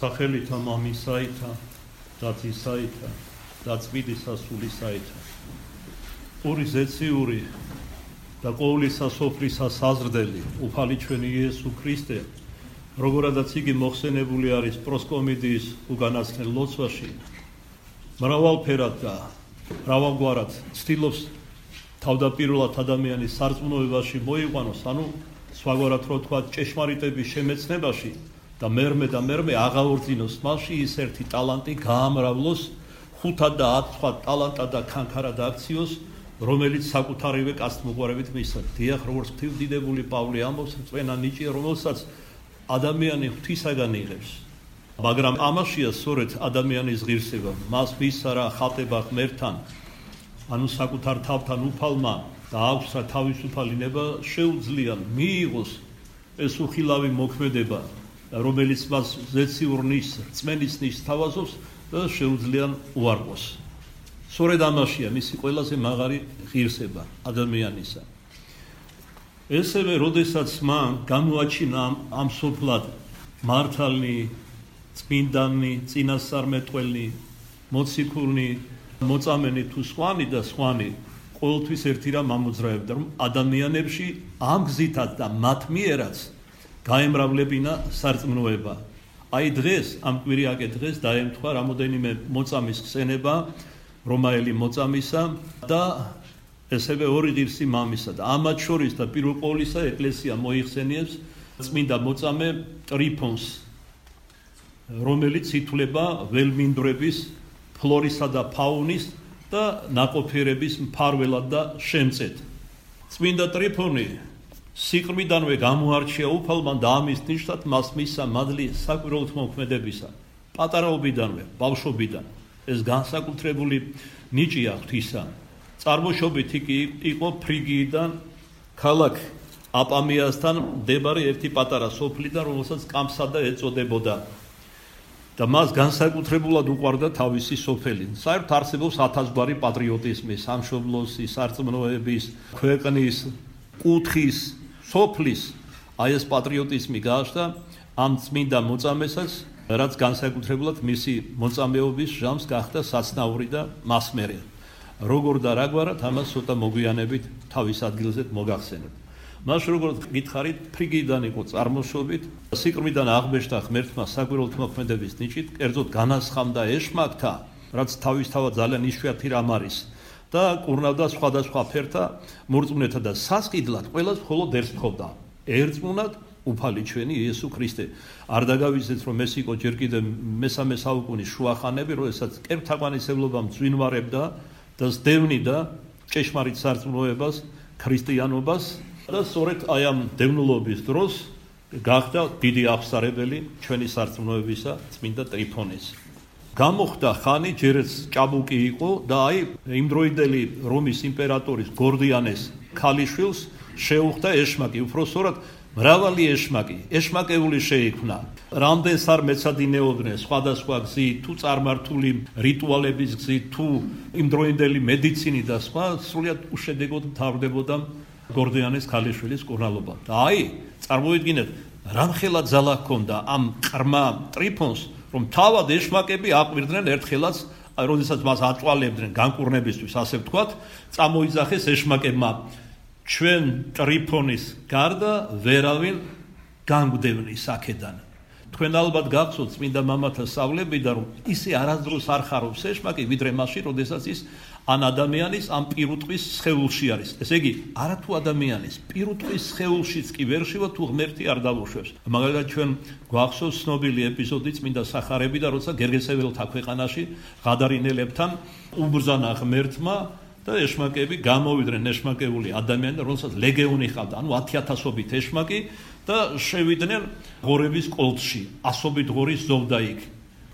სახელითა მამისაითა და ძისაითა და წმინდისა სულისაითა. პური ზეციური და ყოვლისა სოფლისა საზრდელი უფალი ჩვენი იესო ქრისტე, როგორადაც იგი მოხსენებული არის პროსკომიდიის უგანაცვლელ ლოცვაში, მრავალფერად და მრავალგვარად ცდილობს თავდაპირველად ადამიანის სარწმუნოებაში მოიყვანოს, ანუ სხვაგვარად რო თქვა ჭეშმარიტების შემეცნებაში და მერმე აღაორძინოს მასში ის ერთი ტალანტი გაამრავლოს 5 და 10 სხვა ტალანტად და ქანქარად აქციოს, რომელიც საკუთარივე კაცთმოყვარებით მისცა. დიახ, როგორც ღვთისმდიდებული პავლე ამბობს, წვენა ნიჭია, რომელსაც ადამიანი ღვთისაგან იღებს. მაგრამ ამაშია სწორედ ადამიანის ღირსება, მას მისცა რა ხატება ღმერთთან, ანუ საკუთარ თავთან უფალმა და აქვს რა თავისუფალი ნება შეუძლია მიიღოს ეს უხილავი მოქმედება, რომელიც მას ზეციურ ნიშს, რწმენის ნიშს თავაზობს და შეუძლია უარყოს. სწორედ ამაშია მისი ყველაზე მაღალი ღირსება ადამიანისა. ესევე, როდესაც მან გამოაჩინა ამ სოფლად მართალნი, წმინდანი, წინასწარმეტყველნი, მოციქულნი, მოწამენი თუ სხვანი და სხვანი, ყოველთვის ერთი რამ ამოძრავებდა, რომ ადამიანებში ამ გზითაც და მათ მიერაც გაემრავლებინა სარწმუნოება. აი დღეს, ამ კვირიაკე დღეს დაემთხვა რამოდენიმე მოწამის ხსენება, რომაელი მოწამისა და ესევე ორი ღირსი მამისა და ამათ შორის და პირველ ყოვლისა ეკლესია მოიხსენიებს წმინდა მოწამე ტრიფონს, რომელიც ითვლება ველმინდვრების, ფლორისა და ფაუნის და ნაყოფიერების მფარველად და შემწედ. წმინდა ტრიფონი სიყრმიდანვე გამოარჩია უფალმა და ამის ნიშნად მას მისცა მადლი საკვირველთმოქმედებისა. პატარაობიდანვე, ბავშვობიდან ეს განსაკუთრებული ნიჭია ღვთისა. წარმოშობით იგი იყო ფრიგიიდან ქალაქ აპამიასთან მდებარე ერთი პატარა სოფლიდან, რომელსაც კამსადა ეწოდებოდა. და მას განსაკუთრებულად უყვარდა თავისი სოფელი. საერთოდ არსებობს 1000 გვარი პატრიოტიზმი, სამშობლოსი, სარწმუნოების, ქვეყნის, კუთხის, სოფლის, აი ეს პატრიოტიზმი გააჩნდა ამ წმინდა მოწამესაც, რაც განსაკუთრებულად მისი მოწამეობის ჟამს გახდა საცნაური და მასმერი. როგორ და რაგვარად ამას ცოტა მოგვიანებით თავის ადგილზე მოგახსენებ. მას როგორც გითხარით, ფრიგიდან იყო წარმოშობით, სიყრმიდან აღბეჭდა ღმერთმა საკვირველთმოქმედების ნიჭით, კერძოდ განასხამდა ეშმაკთა, რაც თავისთავად ძალიან იშვიათი რამ არის და კურნავდა სხვადასხვა ფერთა მორწმუნეთა და სასყიდლად ყველას მხოლოდ ერთს თხოვდა. ერწმუნათ უფალი ჩვენი იესო ქრისტე. არ დაგავიძეთ, რომ ეს იყო ჯერ კიდევ მესამე საუკუნის შუახანები, როდესაც კერპთაყვანისმცემლობამ ძვინვარებდა და სდევნიდა ჭეშმარიტ სარწმუნოებას, ქრისტიანობას და სწორედ აი ამ დევნილობის დროს გახდა დიდი აღსარებელი ჩვენი სარწმუნოებისა წმინდა ტრიფონის. გამოხდა ხანი, ჯერაც ჭაბუკი იყო და აი იმდროინდელი რომის იმპერატორის გორდიანეს ქალიშვილს შეუხდა ეშმაკი, უფრო სწორად მრავალი ეშმაკი, ეშმაკეული შეიქმნა. რამდენს არ მეცადინეოდნენ სხვადასხვა გზით, თუ წარმართული რიტუალების გზით, თუ იმდროინდელი მედიცინით და სხვა, სრულიად უშედეგოდ მთავრდებოდა გორდიანეს ქალიშვილის კურნალობა. და აი, წარმოვიდგინეთ, რამხელა ძალა ჰქონდა ამ ყრმა ტრიფონს, რომ თავად ეშმაკები აყვირდნენ ერთხელაც, როდესაც მას აწვალებდნენ განკურნებისთვის, ასე ვთქვათ, წამოიძახეს ეშმაკებმა. ჩვენ ტრიფონის გარდა ვერავინ განგვდევნის აქედან. თქვენ ალბათ გახსოვთ წმინდა მამათა სწავლებიდან, რომ ისე არასდროს არ ხარობს ეშმაკი, ვიდრე მასში, როდესაც ის ან ადამიანის, ან პირუტყვის სხეულში არის. ესე იგი, არათუ ადამიანის, პირუტყვის სხეულშიც კი ვერ შევა, თუ ღმერთი არ დავუშვებს. მაგალითად, ჩვენ გვახსოვს ცნობილი ეპიზოდი წმინდა სახარებიდან, როცა გერგესეველთა ქვეყანაში ღადარინელებთან უბრძანა ღმერთმა და ეშმაკები გამოვიდნენ, ეშმაკეული ადამიანი, რომელსაც ლეგეონი ჰყავდა, ანუ 10,000-ობით ეშმაკი და შევიდნენ ღორების კოლხში, ასობით ღორის ზოვდა იქ.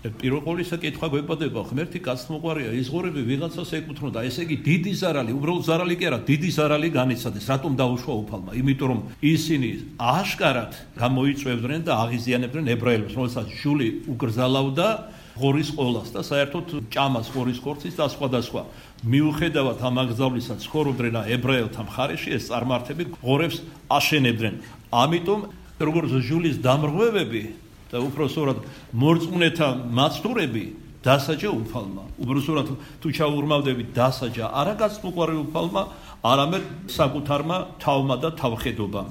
პირველ ყოვლისა კითხვა გვეპადება, ღმერთი კაცთმოყვარია, ის ღორები ვიღაცას ეკუთვნოდა, ესე იგი დიდი ზარალი, უბრალოდ ზარალი კი არა, დიდი ზარალი განიცადეს, რატომ დაუშვა უფალმა? იმიტომ რომ ისინი აშკარად გამოიწვევდნენ და აღიზიანებდნენ ებრაელებს, რომელსაც ჟული უკრძალავდა ღორის ყოლას და საერთოდ ჭამას ღორის ხორცის და სხვადასხვა. მიუხედავად ამ აკრძალვისა ცხოვრობდნენ ებრაელთა მხარეში, ეს წარმართები ღორებს აშენებდნენ. ამიტომ როგორც ჟულის დამრღვევები და უпроსორად მორწმუნეთა მაცდურები დასაჯა უფალმა. უბრალოდ თუ ჩაურმავდებით დასაჯა არა გასწმოყვარე უფალმა, არამედ საკუთარმა თავმა და თავხედობამ.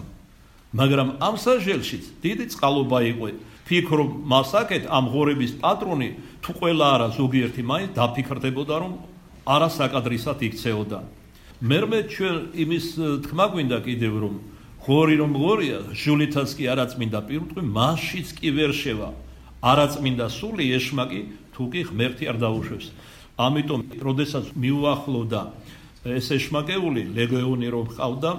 მაგრამ ამ სასჯელშიც დიდი წყალობა იყო. ფიქრობ მასაკეთ ამ ღორების პატრონი თუ ყველა არა ზოგიერთი მაინც დაფიქრდებოდა რომ არა საკადრისად იქცეოდა. მერმე ჩვენ იმის თქმა გვინდა კიდევ რომ ღორი რომ ღორია ჟულითაც კი არაწმინდა პირუტყვი მასშიც კი ვერ შევა არაწმინდა სული ეშმაკი თუ კი ღმერთი არ დაუშვებს. ამიტომ როდესაც მიუახლოვდა ეს ეშმაკეული ლეგიონი რომ ყავდა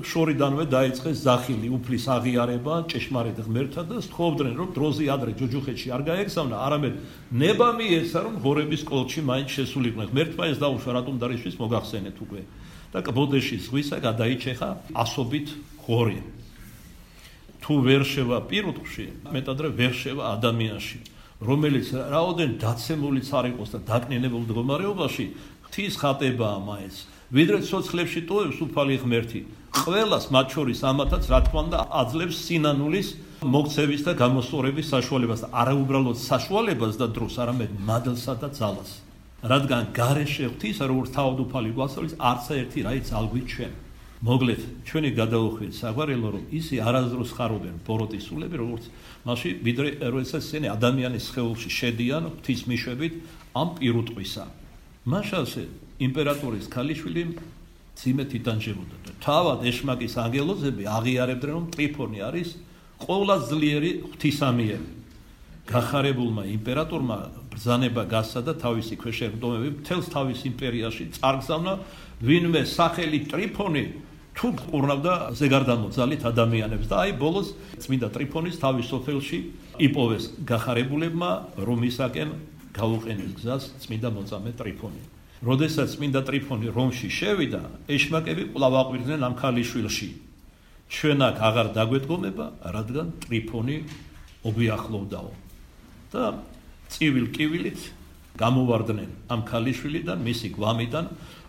შორიდანვე დაიწყეს ზახილი უფლის აღიარება ჭეშმარიტ ღმერთთან და სთხოვდნენ რომ დროზე ადრე ჯოჯოხეთში არ გაეგზავნა არამედ ნება მიეცა რომ ღორების კოლჩი მაინც შესულიყვნენ. ღმერთმა ეს დაუშვა რატომ დაისთვის მოგახსენეთ უკვე და კბოდეში ზღვისა გადაიჩეხა ასობით ღორი. თუ ვერ შევა პირუტყვში მეტადრე ვერ შევა ადამიანში რომელიც რაოდენ დაცემულიც არ იყოს და დაკნინებულ მდგომარეობაში ღვთის ხატებაა მაინც ვიდრე ცოცხლებში ტოვებს უფალი ღმერთი ყველას მათ შორის ამათაც რა თქმა უნდა აძლევს სინანულის მოქცევის და გამოსწორების საშუალებას და არა უბრალოდ საშუალებას და დროს არამედ მადლსა და ძალას რადგან გარეშე ღვთის როგორც თავდუფალი გვასწავლის არც ერთი რაიც ალგვით ჩვენ მოგლეთ ჩვენი გადაუხვით საგვარელო რომ ისი არასდროს ხარობენ ბოროტის სულები როგორც მაშინ ვიდრე როდესაც ისინი ადამიანის სხეულში შედიან ღვთის მიშვებით ამ პირუტყვისა მაშასე იმპერატორის ქალიშვილი ძიმეთ იტანჯებოდა და თავად ეშმაკის ანგელოზები აღიარებდნენ რომ ტრიფონი არის ყოვლად ძლიერი ღვთისამიერი გახარებულმა იმპერატორმა ბრძანება გასცა და თავისი ქვეშევრდომები მთელს თავის იმპერიაში წარგზავნა ვინმე სახელი ტრიფონი თუ ყურნავდა ზეგარდამოძალით ადამიანებს და აი ბოლოს წმინდა ტრიფონის თავის სოფელში იპოვეს გახარებულებმა რომისაკენ გაუყენეს გზას წმინდა მოწამე ტრიფონი. როდესაც წმინდა ტრიფონი რომში შევიდა, ეშმაკები კვლავ აყვირდნენ ამ ქალიშვილში. ჩვენ აქ აღარ დაგვედგომება, რადგან ტრიფონი ოგვიახლოვდაო. და წივილ კივილით გამოვარდნენ ამ ქალიშვილიდან, მისი გვამიდან,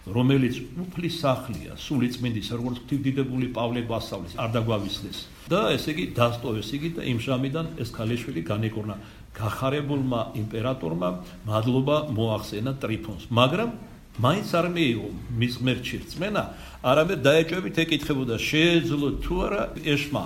რომელიც უფლის სახლია, სული წმინდის, როგორც ღვთისდიდებული პავლე გვასწავლის, არ დაგვავისდეს. და ესე იგი დასტოვეს იგი და იმ ჟამიდან ეს ქალიშვილი განეკორნა. გახარებულმა იმპერატორმა მადლობა მოახსენა ტრიფონს, მაგრამ მაინც არ მიიღო მის ღმერთში რწმენა, არამედ დაეჭვებით ეკითხებოდა შეეძლო თუ არა ეშმა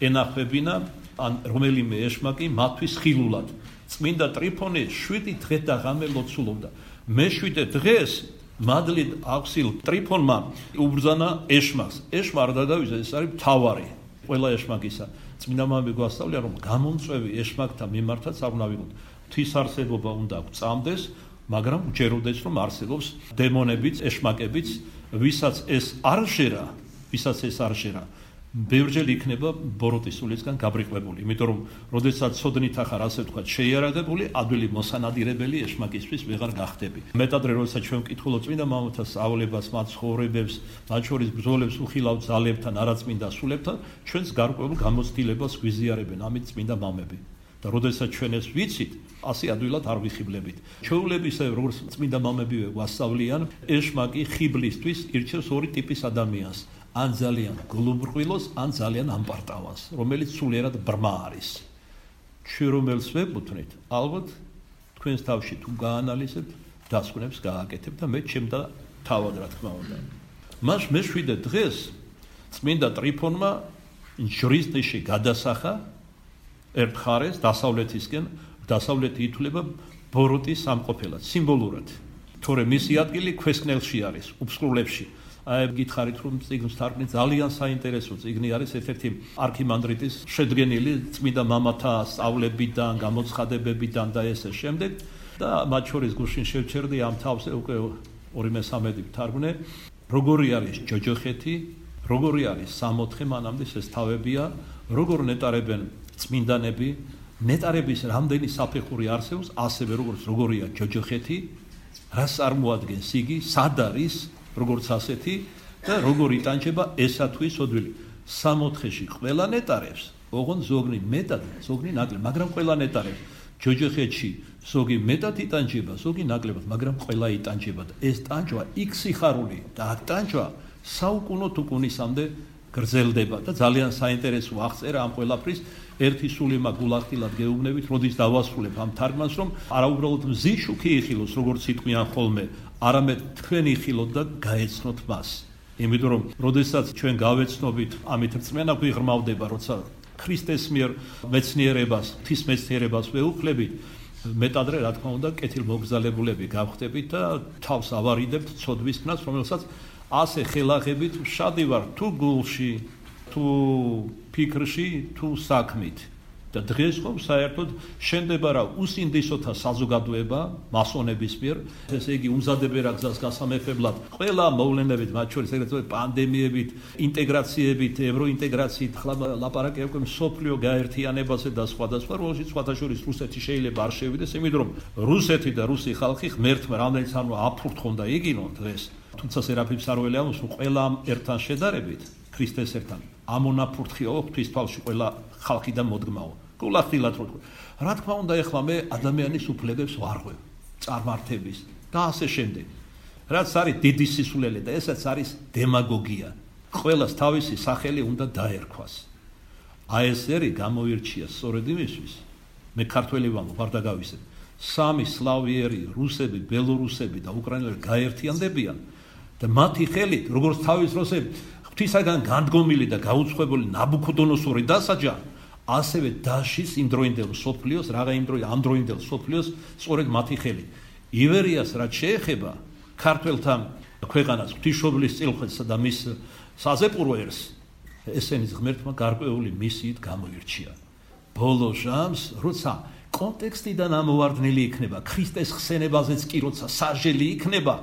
ენახებინა ან რომელიმე ეშმაკი მათთვის ხილულად. წმინდა ტრიფონი 7 დღე და ღამე ლოცულობდა. მე-7 დღეს მადლით აღსილ ტრიფონმა უბრძანა ეშმაკს. ეშმა არ დაგავიძა, ეს არის მთავარი ყველა ეშმაკისა. წმინდა მამები გვასწავლიან რომ გამომწვევი ეშმაკთა მიმართაც არ უნდა ვიყოთ. ღვთის არსებობა უნდა გვწამდეს, მაგრამ უჯეროდეს რომ არსებობს დემონებიც, ეშმაკებიც, ვისაც ეს არ შეერა, ბევრჯერ იქნება ბოროტის სულისგან გაბრიყვებული. იმიტომ რომ როდესაც ცოდნით ახარ ასე ვთქვათ, შეიარაღებული, ადვილი მოსანადირებელი ეშმაკისთვის ვეღარ გახდები. მეტადრე როდესაც ჩვენ ვკითხულობთ წმინდა მამათა სწავლებას, მათ ცხოვრებებს, მათ შორის ბრძოლებს უხილავთ ძალებთან, არაწმინდა სულებთან, ჩვენს გარკვეულ გამოცდილებას გვიზიარებენ ამით წმინდა მამები. და როდესაც ჩვენ ეს ვიცით, ასე ადვილად არ ვიხიბლებით. ჩვეულებისა, როგორც წმინდა მამებივე გვასწავლიან, ეშმაკი ხიბლისთვის ირჩევს ორი ტიპის ადამიანს. ან ძალიან გლუბრყვილოს, ან ძალიან ამპარტავას, რომელიც სულიერად ბრმა არის. ჩვენ რომელს ვეკუთვნით, ალბათ თქვენს თავში თუ გაანალიზებთ, დასკვნებს გააკეთებთ და მე ჩემდა თავად რა თქმა უნდა. მას მე-7 დღეს წმინდა ტრიფონმა ჯვრისდიში გადასახა ერთ მხარეს დასავლეთისკენ, დასავლეთი ითვლება ბოროტის სამყოფელად, სიმბოლურად. თორე მისი ადგილი ქვესკნელში არის, უფსკრულებში. აი გითხარით რომ წიგნს თარგმნით ძალიან საინტერესო წიგნი არის ერთ-ერთი არქიმანდრიტის შედგენილი წმინდა მამათა სწავლებიდან, გამოცხადებებიდან და ესე შემდეგ და მათ შორის გუშინ შევჩერდი ამ თავს უკვე 2/3 ვთარგმნე როგორი არის ჯოჯოხეთი, როგორი არის 64 მანამდე ეს თავებია, როგორ ნეტარებენ წმინდანები, ნეტარების რამდენი საფეხური არსებობს, ასევე როგორია ჯოჯოხეთი, რას წარმოადგენს იგი, სად არის როგორც ასეთი და როგორ იტანჯება ესა თუ ის ოდვილი. 64-ში ყველა ნეტარებს, ოღონდ ზოგნი მეტად, ზოგნი ნაკლებ, მაგრამ ყველა ნეტარებს. ჯოჯოხეთში ზოგი მეტად იტანჯება, ზოგი ნაკლებად, მაგრამ ყველა იტანჯება და ეს ტანჯვა იქ სიხარული და აქ ტანჯვა საუკუნო თუკუნისამდე გრძელდება და ძალიან საინტერესო აღწერა ამ ყველაფრის ერთი სული მაგულახtildeლად გეუბნებით, როდის დავასრულებ ამ თარგმანს, რომ არა უბრალოდ მზის შუქი იხილოს, როგორც იტყვიან ხოლმე, არამედ თქვენ იხილოთ და გაეცნოთ მას. იმიტომ რომ როდესაც ჩვენ გავეცნობით, ამით რწმენა გვიღრმავდება, როცა ქრისტეს მიერ მეცნიერებას, ღვთის მეცნიერებას ვეუფლებით, მეტადრე რა თქმა უნდა კეთილმოგზალებულები გავხდებით და თავს ავარიდებთ ცოდვის ქნას, რომელსაც ასე ხელახებით ვშადი ვარ თუ გულში, თუ ფიქრში, თუ საქმით. და დღეს ხომ საერთოდ შენდება რა უსინდისოთა საზოგადოება მასონების მიერ, ესე იგი უმზადებენ რა გზას გასამეფებლად ყველა მოვლენებით, მათ შორის ეგრეთ პანდემიებით, ინტეგრაციებით, ევროინტეგრაციით, ხლა ლაპარაკი უკვე მსოფლიო გაერთიანებაზე და სხვადასხვა, რომელშიც სხვათა შორის რუსეთი შეიძლება არ შევიდეს, იმიტომ რომ რუსეთი და რუსი ხალხი ღმერთმა რამდენიც არ აფურთხონ და იგინონ დღეს, თუმცა სერაფიმ საროელი ამბობს, რომ ყველა ერთთან შედარებით ქრისტესთან ამონაფურთხიაო ღვთის თვალში ყველა ხალხი და მოდგმაო. გულახდილად რო თქვა. რა თქმა უნდა, ეხლა მე ადამიანის უფლებებს ვარღვევ, წარმართების და ასე შემდეგ. რაც არის დიდი სისულელე და ესაც არის დემაგოგია. ყველას თავისი სახელი უნდა დაერქვას. ASR-ი გამოირჩია სწორედ იმისთვის, მე ქართველი ვამბობ, არ დაგავისებ. სამი სლავიერი, რუსები, ბელორუსები და უკრაინელები გაერთიანდებიან და მათი ხელით, როგორც თავის როსე ღვთისაგან განდგომილი და გაუცხოებული ნაბუქოდონოსორი დასაჯა, ასევე დაშის იმდროინდელ სოფლიოს, რაღა ამ დროინდელ სოფლიოს სწორედ მათი ხელით. ივერიას რაც შეეხება ქართველთა ქვეყანას, ღვთისმშობლის წილხვედსა და მის საზეპურო ერს, ესენის ღმერთმა გარკვეული მისიით გამოირჩია. ბოლო ჟამს, როცა კონტექსტიდან ამოვარდნილი იქნება, ქრისტეს ხსენებაზეც კი როცა სასჯელი იქნება,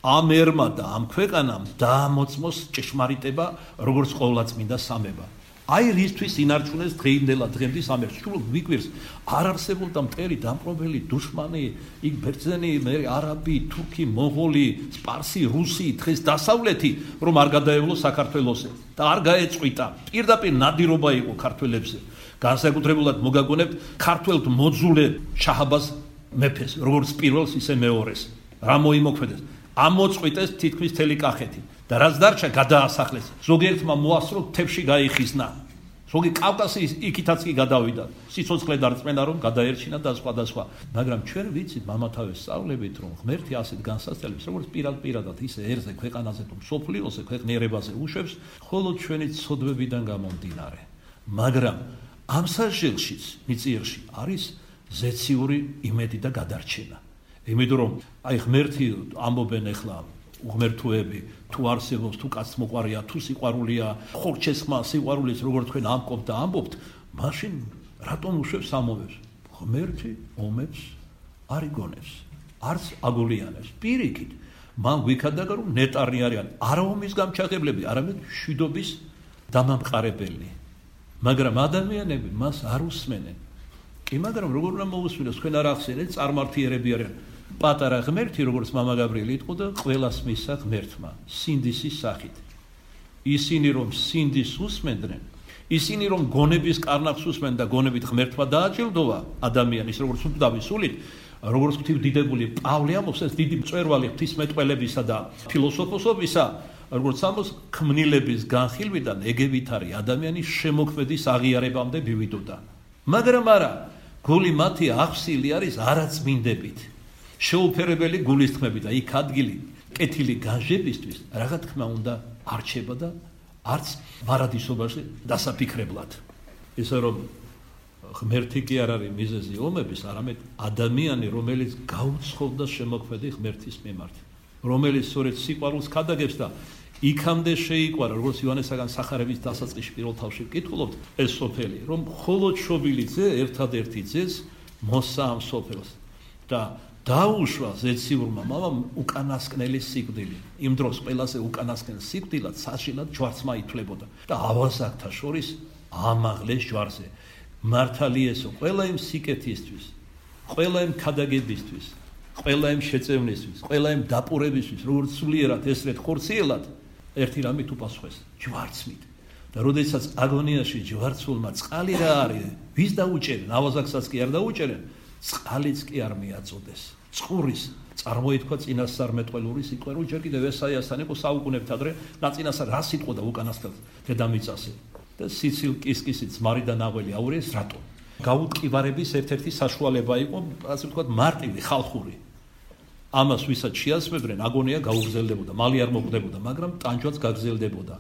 ამ ერმა და ამ ქვეყანამ დაამოწმოს ჭეშმარიტება, როგორც ყოვლადწმინდა სამება. აი რისთვის ინარჩუნეს დღეინდელად დღემდის ამ ერთს. სულ ვიკვირს, არ არსებობდა მტერი დამპყრობელი დუშმანი, იქ ბერძენი, მე არაბი, თურქი, მონღოლი, სპარსი, რუსი, დღეს დასავლეთი, რომ არ გადაევლო საქართველოსზე და არ გაეწყვიტა. პირდაპირ ნადირობა იყო ქართველებზე. განსაკუთრებულად მოგაგონებთ ქართველთ მოძულე შაჰაბაზ მეფეს, როგორც პირველს, ისე მეორეს. რა მოიმოქმედეს? ამოწყვიტეს თითქმის მთელი კახეთი და რაც დარჩა გადაასახლეს. ზოგიერთმა მოასწრო თებში გაიხიზნა. ზოგი კავკასიის იქითაც კი გადავიდა. სიცოცხლე დარწმენა რომ გადაერჩინა და სხვადასხვა. მაგრამ ჩვენ ვიცით მამათავეს სწავლებით რომ ღმერთი ასეთ განსასწრებს, როგორც პირადად ისე ერზე, ქვეყანაზე თუ მსოფლიოზე, ქვეყნიერებაზე უშვებს, ხოლო ჩვენი ცოდვებიდან გამომდინარე. მაგრამ ამ სასჯელშიც მიწიერში არის ზეციური იმედი და გადარჩენა. იმიტომ რომ აი ღმერთი ამბობენ ახლა უღმერთოები თუ არსებობს, თუ კაც მოყარია, თუ სიყვარულია, ხორჩესხმა სიყვარულის როგორც თქვენ ამბობთ და ამბობთ, მაშინ რატომ უშვებს ამობებს? ღმერთი ომებს არ იგონებს, არც აგულიანებს. პირიქით, მან გვიქადაგა რომ ნეტარი არიან არა ომის გამჩაღებლები, არამედ მშვიდობის დამამყარებელი. მაგრამ ადამიანები მას არ უსმენენ. კი, მაგრამ როგორ უნდა მოусმინოს, თქვენ არ ახსენეთ, წარმართიერები არიან. პატარა ღმერთი, როგორც მამა გაბრიელი იყო და ყველას მისცა ღმერთმა, სინდისის სახით. ისინი რომ სინდის უსმენდნენ, ისინი რომ გონების კარნახს უსმენ და გონებით ღმერთმა დააჯილდოვა ადამიანის, როგორც უკვდავი სულით, როგორც ღვთისმდიდებული პავლე ამბობს, ეს დიდი მწვერვალი ღვთისმეტყველებისა და ფილოსოფოსობისა, როგორც ამბობს, ქმნილების განხილვიდან ეგევითარი ადამიანის შემოქმედის აღიარებამდე მივიდოდა. მაგრამ არა, გული მათი აღსილი არის არაწმინდებით. შეუფერებელი გულისხმები და იქ ადგილი კეთილი განჟებისთვის რაღა თქმა უნდა არჩება და არც მარადისობაში დასაფიქრებლად. ისე რომ ღმერთი კი არ არის მიზეზი ომების, არამედ ადამიანი, რომელიც გაუცხოვდა შემოქმედი ღმერთის მიმართ, რომელიც სწორედ სიყვარულს ქადაგებს და იქამდე შეიყვარა, როგორც ივანესაგან სახარების დასაწყისში პირველ თავში ვკითხულობთ, ეს სოფელი, რომ მხოლოდ შობილი ძე ერთადერთი ძეს მოსცა ამ სოფელს და დაუშვა ზეციურმა მამამ უკანასკნელი სიკვდილი. იმ დროს ყველაზე უკანასკნელ სიკვდილად საშინად ჯვარცმა ითვლებოდა და ავაზაკთა შორის ამაღლეს ჯვარზე. მართალიესო, ყველა იმ სიკეთისთვის, ყველა იმ ქადაგებისთვის, ყველა იმ შეწევნისთვის, ყველა იმ დაპურებისთვის, როგორც სულიერად ესრეთ ხორციელად, ერთი რამით უპასუხეს, ჯვარცმით. და როდესაც აგონიაში ჯვარცულმა წყალი რა არის, ვის დაუჭერენ, ავაზაკსაც კი არ დაუჭერენ, წყალიც კი არ მიაწოდეს. წყურის წარმოითქვა წინასწარმეტყველური სიყვარული, ჯერ კიდევ ესაიასთან იყო საუკუნეებთ ადრე, ნაწინასწარ რა სიტყვა და უკანასკნელ დედამიწაზე. და სიცილ კისკისით ძმარიდან აღველი აურიეს რატო? გაუტკივარების ერთ-ერთი საშუალება იყო, ასე ვთქვათ, მარტივი ხალხური. ამას ვისაც შეასწრებდნენ, აგონია გაუგრძელდებოდა, მალე არ მოკვდებოდა, მაგრამ ტანჯვაც გაგრძელდებოდა.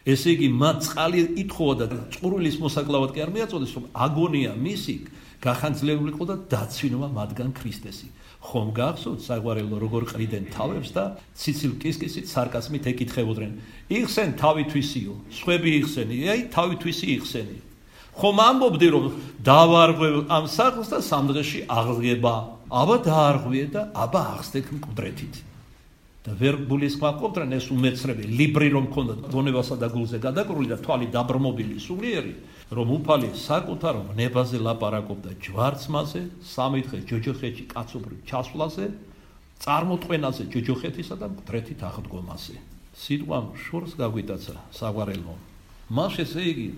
ესე იგი, მათ წყალი ითხოვა და წყურვილის მოსაკლავად კი არ მიაწოდეს, რომ აგონია მისი გახანძლებული იყო და დაცვინება მათგან ქრისტესი. ხომ გახსოვთ საგვარელო როგორ ყრიდნენ თავებს და ციცილ კისკისით სარკასმით ეკითხებოდნენ. იხსენ თავითვისიო, სხვები იხსენი, აი თავითვისი იხსენი. ხომ ამბობდი რომ დავარღვევ ამ სახლს და სამ დღეში აღდგება. აბა დაარღვიე და აბა აღსდეთ მკვდრეთით. და ვერ გულისხმობდნენ ეს უმეცრები, ლიბრი რომ ქონდათ გონებასა და გულზე გადაკრული და თვალი დაბრმობილი სულიერი, რომ უფალი საკუთარ ნებაზე ლაპარაკობდა ჯვარცმაზე, 3 დღე ჯოჯოხეთში კაცობრიო ჩასვლაზე, წარმოთყვენაზე ჯოჯოხეთისა და მკვდრეთით აღდგომაზე. სიტყვამ შორს გაგვიტაცა საგვარელო. მას ესე იგი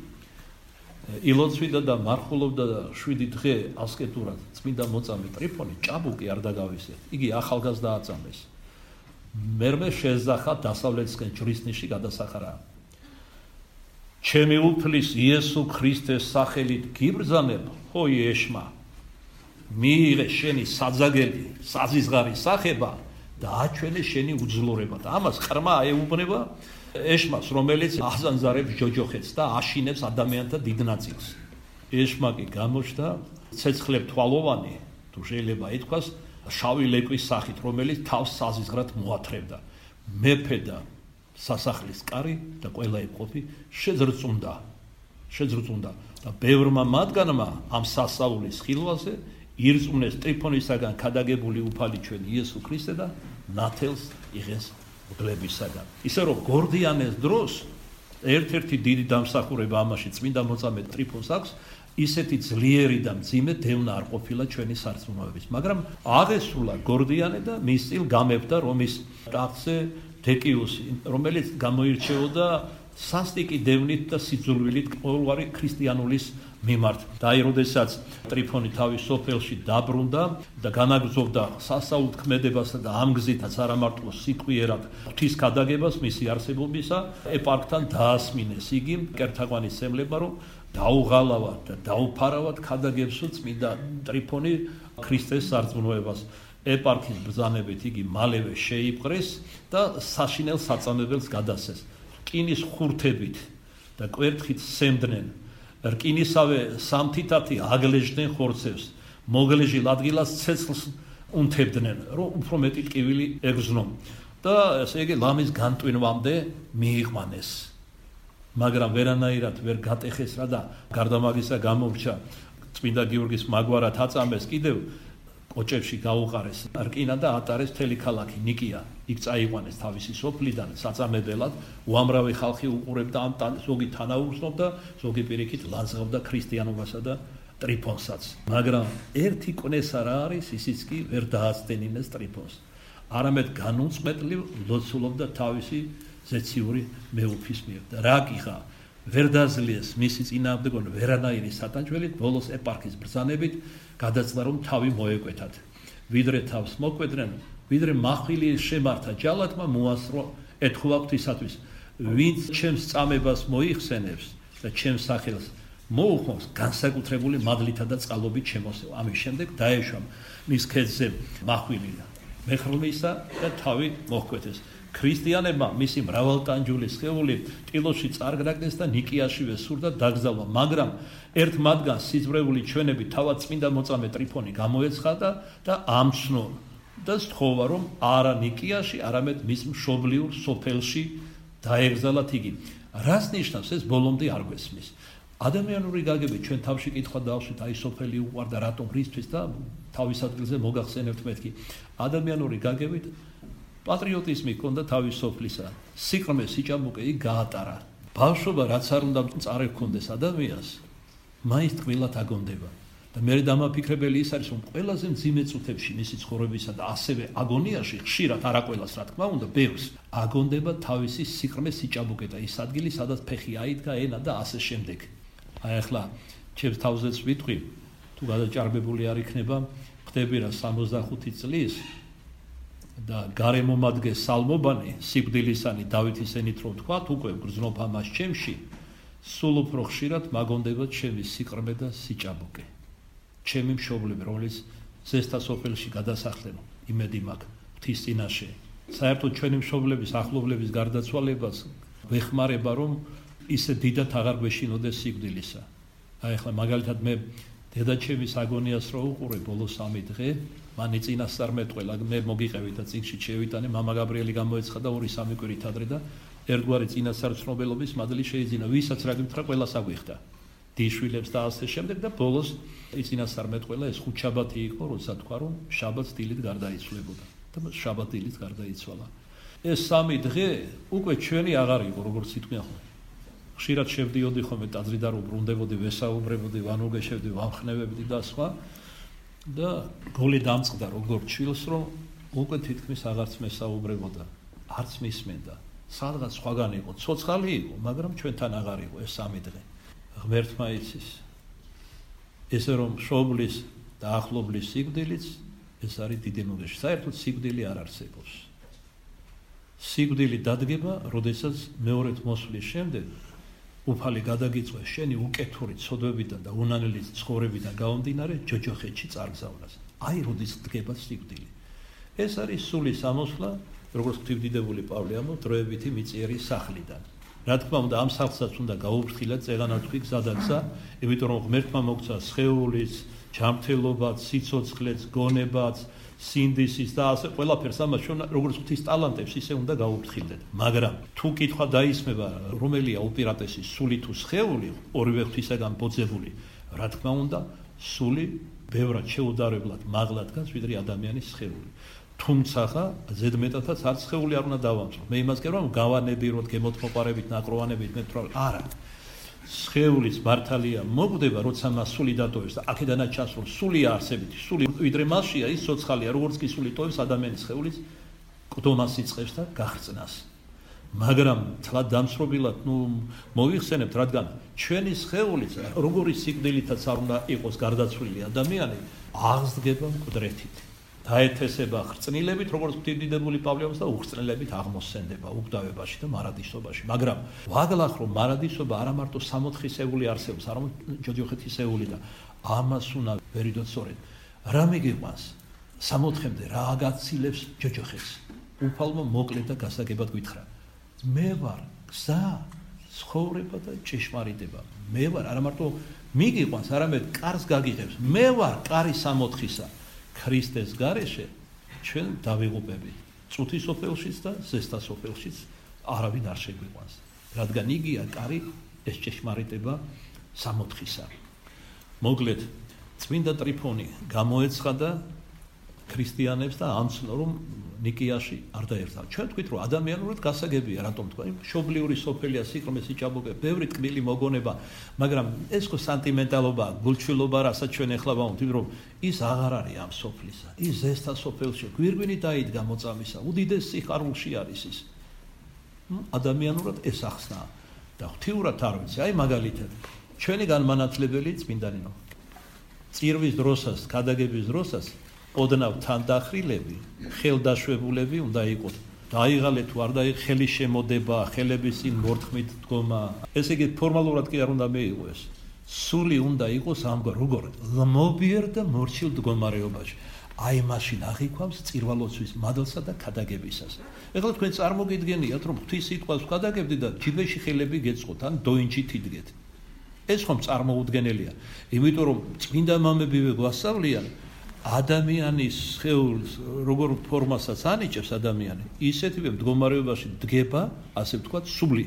ილოცვიდა და მარხულობდა და 7 დღე ასკეტურად წმინდა მოწამე ტრიფონი ჭაბუკი არ დაგავისეთ. იგი ახალგაზრდა აწამეს. მერმე შეზახა დასავლეთისკენ ჯვრისნიში გადასახარა. ჩემი უფლის იესო ქრისტეს სახელით გიბრძანებ, ხო ეშმა. მიიღე შენი საძაგელი, საზიზღარი სახება და აჩვენე შენი უძლურება და ამას ყრმა ეუბნება ეშმას, რომელიც აზანზარებს ჯოჯოხეთს და აშინებს ადამიანთა დიდ ნაწილს. ეშმა კი გამოჩნდა ცეცხლებ თვალოვანი, თუ შეიძლება ითქვას, შავი ლეკვის სახით, რომელიც თავს საზიზღრად მოათრევდა. მეფე და სასახლის კარი და ყველა ეპყופი შეძრწუნდა და ბევრმა მათგანმა ამ სასაულის ხილვაზე ირწმუნეს ტრიფონისაგან ქადაგებული უფალი ჩვენ იესო ქრისტე და ნათელს იღეს მგლებისაგან. ისე რომ გორდიანეს დროს ერთ-ერთი დიდი დამსახურება ამაში წმინდა მოწამე ტრიფონს აქვს, ისეთი ძლიერი და მძიმე დევნა არ ყოფილა ჩვენი სარწმუნოების, მაგრამ აღესრულა გორდიანე და მის წინ გამებდა რომის ტახტზე დეკიუსი, რომელიც გამოირჩეოდა სასტიკი დევნით და სიძულვილით ყოველგვარი ქრისტიანულის მიმართ. და აი, როდესაც ტრიფონი თავის სოფელში დაბრუნდა და განაგრძობდა სასაულთ ქმედებასა და ამ გზითაც არა მარტო სიტყვიერად ღვთის ქადაგებას მისი არსებობისა, ეპარქთან დაასმინეს იგი კერთაყვანის სემლება, რომ დაუღალავად და დაუფარავად ქადაგებსო წმინდა ტრიფონი ქრისტეს სარწმუნოებას. ეპარქის ბრძანებით იგი მალევე შეიპყრეს და საშინელ საწამებელს გადასცეს. რკინის ხურთებით და კვერთხით სემდნენ. რკინისავე სამთითათი აგლეჟდნენ ხორცებს. მოგლეჟილ ადგილას ცეცხლს უნთებდნენ, რომ უფრო მეტი ტკივილი ეგრძნო. და ესე იგი ლამის განტვინვამდე მიიყვანეს. მაგრამ ვერანაირად ვერ გატეხეს რა და გარდა მაგისა გამორჩა წმინდა გიორგის მაგვარად აწამეს კიდევ კოჭებში გაუყარეს რკინა და ატარეს მთელი ქალაქი ნიკია. იქ წაიყვანეს თავისი სოფლიდან საწამებელად, უამრავი ხალხი უყურებდა ამ ზოგი თანაუგრძნობდა, ზოგი პირიქით ლანძღავდა ქრისტიანობასა და ტრიფონსაც. მაგრამ ერთი კვნესა რა არის, ისიც კი ვერ დააცდენინეს ტრიფონს. არამედ განუწყვეტლივ ლოცულობდა თავისი ზეციური მეუფის მიერ და რა გიხა ვერ დაძლიეს მისი წინააღმდეგონ ვერანაირი სატანჯველი, ბოლოს ეპარქის ბრძანებით გადაწყდა რომ თავი მოეკვეთათ. ვიდრე თავს მოკვედნენ, ვიდრე მახვილი შემართა ჯალათმა მოასწრო ეთქვა ღვთისათვის, ვინც ჩემს წამებას მოიხსენებს და ჩემს სახელს მოუხმობს, განსაკუთრებული მადლითა და წყალობით შემოსევა. ამის შემდეგ დაეშვა მის ქედზე მახვილი მეხრლმისა და თავი მოჰკვეთეს. ქრისტიანებმა მისი მრავალტანჯული სხეული ტილოში წარგრაგდეს და ნიკიაშივე სურდა დაგზავნა, მაგრამ ერთ მათგანს სიძვრეული ჩვენები თავად წმინდა მოწამე ტრიფონი გამოეცხადა და ამცნო და სთხოვა რომ არა ნიკიაში, არამედ მის მშობლიურ სოფელში დაეგზალათ იგი. რას ნიშნავს ეს ბოლომდე არ გვესმის? ადამიანური გაგებით ჩვენ თავში კითხვა დავსვით, აი სოფელი უყვარდა რატომ რისთვის და თავის ადგილზე მოგახსენებთ მეთქი. ადამიანური გაგებით პატრიოტიზმი ჰქონდა თავის სოფლისა. სიყრმე სიჭაბუკე იქ გაატარა. ბავშვობა რაც არ უნდა წარე ჰქონდეს ადამიანს, მაინც ტყბილად აგონდება. და მე დამაფიქრებელი ის არის, რომ ყველაზე მძიმე წუთებში მისი ცხოვრებისა და ასევე აგონიაში ხშირად არა ყველას რა თქმა უნდა, ბევრს აგონდება თავისი სიყრმე სიჭაბუკე და ის ადგილი, სადაც ფეხი აიდგა, ენა და ასე შემდეგ. აი ახლა ჩემს თავზეც ვიტყვი, თუ გადაჭარბებული არ იქნება, ხდები რა 65 წლის და გარემომადგე სალმობანი სიკვდილისანი დავითის ენით რომ თქვათ, უკვე გრძნობ ამას ჩემში სულ უფრო ხშირად მაგონდება ჩემი სიყრმე და სიჭაბუკე. ჩემი მშობლები, რომლის ზესთა სოფელში გადასახლენ, იმედი მაქვს ღვთის წინაშე. საერთოდ ჩვენი მშობლების ახლობლების გარდაცვალებას ვეხმარება, რომ ისე დიდად აღარ გვეშინოდეს სიკვდილისა. აი ახლა მაგალითად მე დედაჩემის აგონიას რო უყურე ბოლო 3 დღე, მან წინასწარმეტყველა, მე მოგიყევით და წიგნში შევიტანე, მამა გაბრიელი გამოეცხადა 2-3 კვირით ადრე და ერთგვარი წინასწარმეტყველობის მადლი შეიძინა, ვისაც რა გითხრა, ყველას აგვიხდა. დიშვილებს და ასე შემდეგ და ბოლოს წინასწარმეტყველა ეს ხუთშაბათი იყო, როცა თქვა, რომ შაბათს დილით გარდაიცვლებოდა და შაბათ დილით გარდაიცვალა. ეს 3 დღე უკვე ჩვენი აღარ იყო, როგორც იტყვიან ხოლმე. ხშირად შევდიოდი ხოლმე ტაძრიდან და ბრუნდებოდი, ვესაუბრებოდი, ვანუგეშევდი, ვამხნევებდი და სხვა და გოლი დამწყდა როგორც ჩვილს, რომ უკვე თითქმის აღარც მესაუბრებოდა, არც მისმენდა. სადღაც სხვაგან იყო, ცოცხალი იყო, მაგრამ ჩვენთან აღარ იყო ეს 3 დღე. ღმერთმა იცის. ესე რომ მშობლის და ახლობლის სიკვდილიც ეს არის დიდი ნუგეში. საერთოდ სიკვდილი არ არსებობს. სიკვდილი დადგება, როდესაც მეორედ მოსვლის შემდეგ უფალი გადაგიწვევს შენი უკეთური ცოდვებიდან და უნანელი ცხოვრებიდან გამომდინარე ჯოჯოხეთში წარგზავნას. აი როდის დგება სიკვდილი. ეს არის სულის ამოსვლა, როგორც ღვთისმდიდრებული პავლე ამბობს, დროებითი მიწიერი სახლიდან. რა თქმა უნდა, ამ სახლსაც უნდა გაუფრთხილოთ, წეღანათქვი გზადაგზა, იმიტომ რომ ღმერთმა მოგცა სხეულის, ჯანმრთელობაც, სიცოცხლეც, გონებაც, სინდისის და ასე ყველაფერს ამას როგორც ღვთის ტალანტებს ისე უნდა გაუფრთხილდეთ. მაგრამ თუ კითხვა დაისმება, რომელია უპირატესი, სული თუ სხეული, ორივე ღვთისაგან ბოძებული, რა თქმა უნდა, სული ბევრად შეუდარებლად მაღლად დგას, ვიდრე ადამიანის სხეული. თუმცა ზედმეტადაც არც სხეული არ უნდა დავამწრო. მე იმას გქონდა, რომ გავანებიროთ, გემოთმოყარებით, ნაკროვანებით, მე ვთქვი, არა. სხეულის მართალია მოგვდება, როცა მას სული დატოვებს და აქედანაც ჩასვლა სული არსებითი, სული ვიდრე მასშია, ის ცოცხალია, როგორც კი სული ტოვებს ადამიანის სხეულის, ყდომას იწყებს და გაღწნას. მაგრამ თლად დამსრობილად, მოიხსენებთ, რადგან ჩვენი სხეულიც, როგორი სიკვდილითაც არ უნდა იყოს გარდაცვლილი ადამიანი, აღსდგება მკვდრეთით. დაეთესება ხრწნილებით, როგორც ღვთისმდიდრებული პავლე ამბობს და უხრწნილებით აღმოსცენდება უკვდავებაში და მარადისობაში. მაგრამ ვაგლახ რომ მარადისობა არა მარტო 64-ეული არსებობს, არამედ ჯოჯოხეთისეული და ამას უნდა ვერიდოთ სწორედ. რა მიგიყვანს 64-მდე რა აგაცილებს ჯოჯოხეთს? უფალმა მოკლედ და გასაგებად გითხრა. მე ვარ გზა, ცხოვრება და ჭეშმარიტება. მე ვარ არა მარტო მიგიყვანს, არამედ კარს გაგიღებს. მე ვარ კარი 64-ისა. ქრისტეს გარეშე ჩვენ დავიღუპებით. წუთის სოფელშიც და ზესთა სოფელშიც არავინ არ შეგვიყვანს. რადგან იგია კარი ეს ჭეშმარიტება 64-ისა. მოკლედ წმინდა ტრიფონი გამოეცხადა ქრისტიანებს და ამცნო რომ ნიკიაში არ დაერთდა. ჩვენ თქვით რომ ადამიანურად გასაგებია, რატომ თქვა? მშობლიური სოფელია, სიყრმე, სიჭაბუკე, ბევრი ტკბილი მოგონება, მაგრამ ეს ხო სანტიმენტალობა, გულჩვილობა, რასაც ჩვენ ეხლა ვამბობთ, რომ ის აღარ არის ამ სოფლისა. ის ზესთა სოფელში გვირგვინი დაიდგა მოწამისა, უდიდეს სიხარულში არის ის. ადამიანურად ეს ახსნა და ღვთიურად არ ვიცი, აი მაგალითად, ჩვენი განმანათლებელი წმინდანინო. წირვის დროსაც, გადაგების დროსაც ოდნავ თანდახრილები, ხელდაშვებულები უნდა იყოთ. დაიღალე თუ არ დაიღალე, ხელი შემოდება, ხელების წინ მორთმით დგომა. ესე იგი ფორმალურად კი არ უნდა მეიღოს. სული უნდა იყოს ამგვარ როგორ ლმობიერ და მორჩილ მდგომარეობაში. აი მაშინ აღიქვამს წირვალოცვის მადლსა და ქადაგებისას. ეხლა თქვენ წარმოგიდგენიათ, რომ ღვთის სიტყვას ვქადაგებდი და ჯიბეში ხელები გეწყოთ, ან დოინჯი თიდგეთ. ეს ხომ წარმოუდგენელია. იმიტომ რომ წმინდა მამებივე გვასწავლიან ადამიანის სხეულს როგორ ფორმასაც ანიჭებს ადამიანი, ისეთივე მდგომარეობაში დგება, ასე ვთქვათ, სული.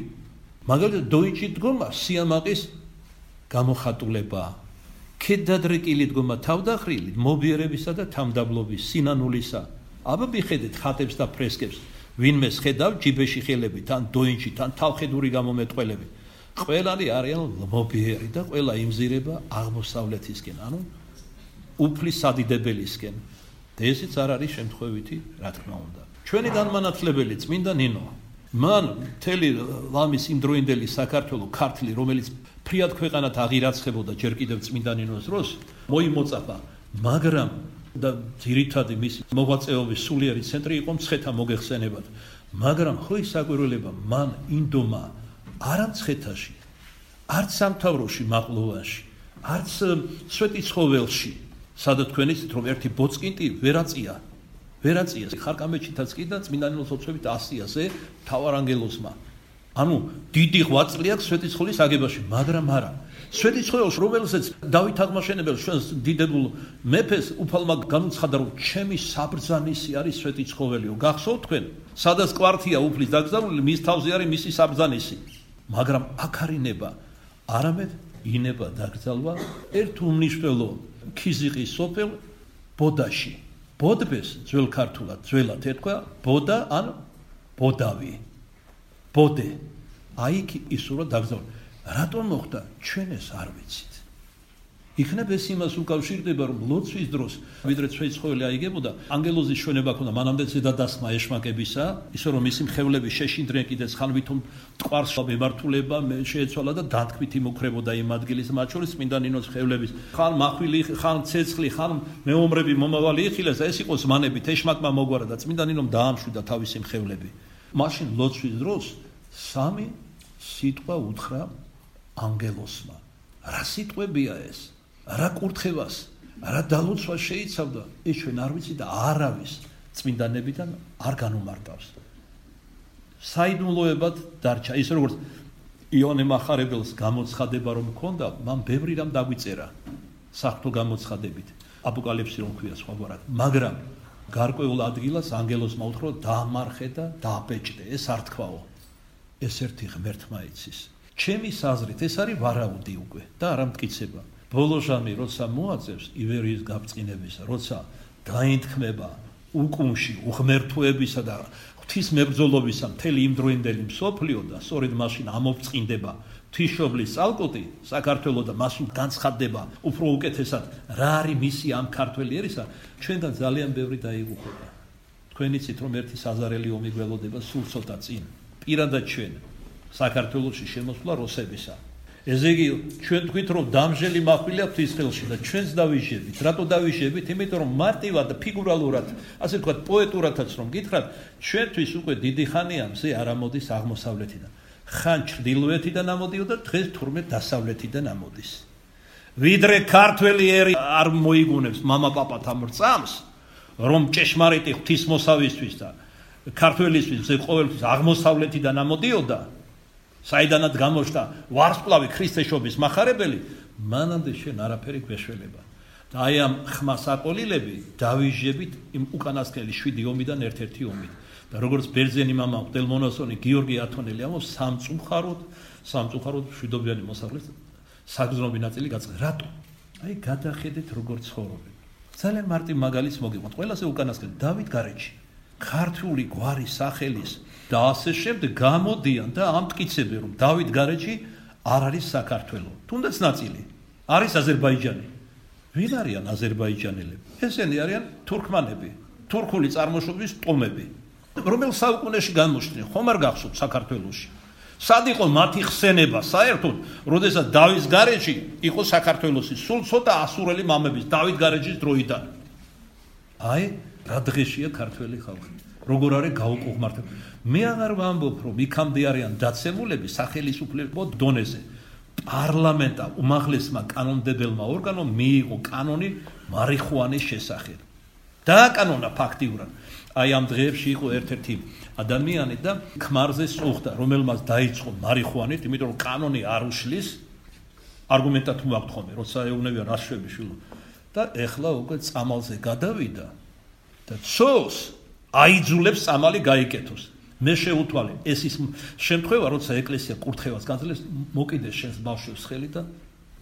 მაგალითად, დოინჯი დგომა სიამაყის გამოხატულება, ქედადრეკილი დგომა თავდახრილი, მობიერებისა და თამდაბლობის, სინანულისა. აბა მიხედეთ ხატებს და ფრესკებს, ვინმეს ხედავ ჯიბეში ხელებით, ან დოინჯით, ან თავხედური გამომეტყველებით. ყველანი არიან მობიერი და ყველა იმზირება აღმოსავლეთისკენ, ანუ უფლის სადიდებელისკენ. და ესეც არ არის შემთხვევითი, რა თქმა უნდა. ჩვენი განმანათლებელი წმინდა ნინო, მან მთელი ლამის იმდროინდელი საქართველო, ქართლი, რომელიც ფრიად ქვეყანად აღირაცხებოდა ჯერ კიდევ წმინდა ნინოს დროს, მოიმოწაფა, მაგრამ და ძირითადი მისი მოღვაწეობის სულიერი ცენტრი იყო მცხეთა მოგეხსენებათ. მაგრამ ხო ის საკვირველება მან ინდომა არა მცხეთაში, არც სამთავროში მაყლოვანში, არც სვეტიცხოველში, სადაც თქვენ იცით რომ ერთი ბოწკინტი ვერაწია ხარკამეჩითაც კი და წმინდანელოს ოცვებით 100-ზე მთავარანგელოზმა. ანუ დიდი ღვაწლი აქვს სვეტიცხოვლის აგებაში, მაგრამ არა. სვეტიცხოველს რომელსაც დავით აღმაშენებელს ჩვენს დიდებულ მეფეს უფალმა განუცხადა რომ ჩემი საბრძანისი არის სვეტიცხოველიო. გახსოვთ თქვენ? სადაც კვართია უფლის დაკრძალული, მის თავზე არის მისი საბრძანისი. მაგრამ აქ არ ინება, არამედ ინება დაკრძალვა ერთ უმნიშვნელო ქიზიყის სოფელ ბოდაში. ბოდბეს ძველ ქართულად ეთქვა ბოდა ან ბოდავი. ბოდე. აი იქ ისურვა დაკრძალვა. რატომ მოხდა? ჩვენ ეს არ ვიცით. იქნებ ეს იმას უკავშირდება რომ ლოცვის დროს ვიდრე სვეტიცხოველი აიგებოდა ანგელოზის ჩვენება ქონდა მანამდე ზედადასმა ეშმაკებისა ისე რომ მისი მხევლები შეშინდნენ კიდეც ხან ვითომ ტყვარს მემართულება შეეცვალა და დათქმით იმუქრებოდა იმ ადგილის მათ შორის წმინდა ნინოს მხევლების ხან მახვილი ხან ცეცხლი ხან მეომრები მომავალი იხილეს ეს იყო ზმანებით ეშმაკმა მოგვარა და წმინდა ნინომ დაამშვიდა თავისი მხევლები მაშინ ლოცვის დროს სამი სიტყვა უთხრა ანგელოსმა რა სიტყვებია ეს რა კურთხევას, რა დალოცვას შეიცავდა, ეს ჩვენ არ ვიცი და არავის წმინდანებიდან არ განუმარტავს. საიდუმლოებად დარჩა, ის როგორც იონე მახარებელს გამოცხადება რომ ჰქონდა, მან ბევრი რამ დაგვიწერა საღვთო გამოცხადებით. აპოკალიფსი რომ ქვია სხვაგვარად, მაგრამ გარკვეულ ადგილას ანგელოზმა უთხრა დაამარხე და დააბეჭდე, ეს არ თქვაო. ეს ერთი ღმერთმა იცის. ჩემი საზრით ეს არის ვარაუდი უკვე და არა მტკიცება. ბოლო ჟამი როცა მოაწევს ივერიის გაბწყინებისა, როცა დაინთქმება უკუნში უღმერთოებისა და ღვთის მებრძოლობისა მთელი იმდროინდელი მსოფლიო და სწორედ მაშინ ამოვწყინდება ღვთისმშობლის წალკოტი საქართველოს და მას განცხადდება უფრო უკეთესად რა არის მისი ამ ქართველი ერისა, ჩვენგან ძალიან ბევრი დაიღუპება. თქვენ იცით რომ ერთი საზარელი ომი გველოდება სულ ცოტა წინ, პირადად ჩვენ საქართველოში შემოსვლა რუსებისა. ესე იგი ჩვენ თქვით რომ დამჟელი მახვილი აქვს ის ხელში და ჩვენც დავიჟებით. რატო დავიჟებით? იმიტომ რომ მარტივად და ფიგურალურად, ასე ვთქვათ, პოეტურადაც რომ გითხრათ, ჩვენთვის უკვე დიდი ხანია მზე არ ამოდის აღმოსავლეთიდან. ხან ჩრდილოეთიდან ამოდიოდა, დღეს თურმე დასავლეთიდან ამოდის. ვიდრე ქართველი ერი არ მოიგუნებს მამა-პაპათ ამ რწამს, რომ ჭეშმარიტი ღვთისმოსავისთვის და ქართველისთვის მზე ყოველთვის აღმოსავლეთიდან ამოდიოდა. საიდანაც გამოჩნდა ვარსკვლავი ქრისტეშობის მახარებელი, მანამდე შენ არაფერი გვეშველება. და აი ამ ხმას აყოლილები დავიჟებით იმ უკანასკნელი 7 ომიდან ერთ-ერთი ომით. და როგორც ბერძენი მამა მღვდელმონაზონი გიორგი ათონელი ამბობს, სამწუხაროდ მშვიდობიანი მოსახლის საგრძნობი ნაწილი გაწყდა. რატო? აი გადახედეთ როგორ ცხოვრობენ. ძალიან მარტივ მაგალითს მოგიყვანთ. ყველასე უკანასკნელი დავით გარეჯი. ქართული გვარი სახელის და ასე შემდეგ გამოდიან და ამტკიცებენ რომ დავით გარეჯი არ არის საქართველო. თუნდაც ნაწილი არის აზერბაიჯანი. ვინ არიან აზერბაიჯანელები? ესენი არიან თურქმანები, თურქული წარმოშობის ტომები. რომელ საუკუნეში განმოჩნდნენ? ხომ არ გახსოვთ საქართველოში? სად იყო მათი ხსენება საერთოდ, როდესაც დავით გარეჯი იყო საქართველოსი, სულ ცოტა ასურელი მამების დავით გარეჯის დროიდან. აი რა დღეშია ქართველი ხალხი. როგორ არის გაუკუღმართები. მე აღარ ვამბობ რომ იქამდე არიან დაცემულები სახელისუფლებო დონეზე. პარლამენტა უმაღლესმა კანონმდებელმა ორგანომ მიიღო კანონი მარიხუანის შესახებ. დააკანონა ფაქტიურად. აი ამ დღეებში იყო ერთ-ერთი ადამიანი და ქმარზე სწუხდა, რომელმაც დაიწყო მარიხუანით, იმიტომ რომ კანონი არ უშლის არგუმენტად მოაქვთ ხოლმე, როცა ეუბნებიან რასშვები შვილო. და ეხლა უკვე წამალზე გადავიდა და ცოლს აიძულებს წამალი გაიკეთოს. მე შეუთვალე, ეს ის შემთხვევა, როცა ეკლესია კურთხევას გაძლევს, მოკიდეს შენს ბავშვებს ხელი და